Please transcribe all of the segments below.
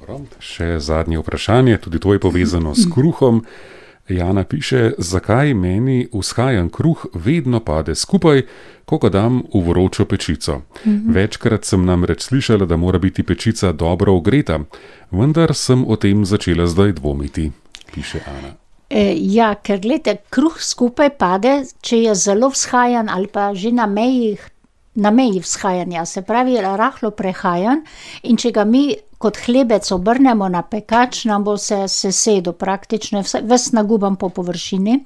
Dobro. Še zadnje vprašanje, tudi to je povezano s kruhom. Jana piše, zakaj meni vzhajan kruh vedno pade skupaj, ko ga dam v vročo pečico. Večkrat sem namreč slišala, da mora biti pečica dobro ogreta, vendar sem o tem začela zdaj dvomiti, piše Ana. Ja, ker gledajte, kruh skupaj pade, če je zelo vzhajan ali pa že na meji vzhajanja, se pravi rahlo prehajan, in če ga mi kot hlebec obrnemo na pekač, nam bo se sesedel praktično, ves naguban po površini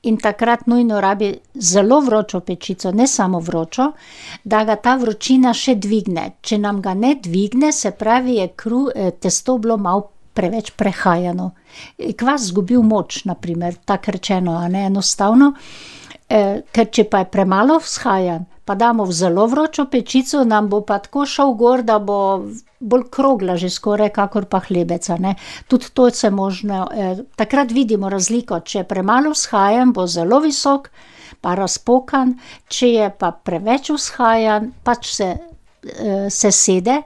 in takrat nujno rabi zelo vročo pečico, ne samo vročo, da ga ta vročina še dvigne. Če nam ga ne dvigne, se pravi, je testo bilo malo preveč prehajano. Kvas zgubil moč, na primer, tako rečeno, a ne enostavno, ker če pa je premalo vzhajan, pa damo v zelo vročo pečico, nam bo pa tako šel gor, da bo bolj krogla že skoraj, kakor pa hlebec, a ne. Tudi to se možno, takrat vidimo razliko, če je premalo vzhajan, bo zelo visok, pa razpokan, če je pa preveč vzhajan, pač se sede,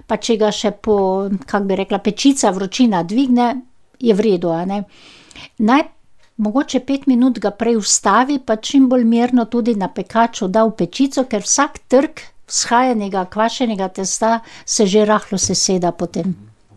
pa če ga še kako bi rekla, pečica, vročina dvigne, je v redu, a ne. Mogoče 5 minut ga prej ustavi, pa čim bolj mirno tudi na pekaču da v pečico, ker vsak trk vzhajanega, kvašenega testa se že rahlo seseda potem.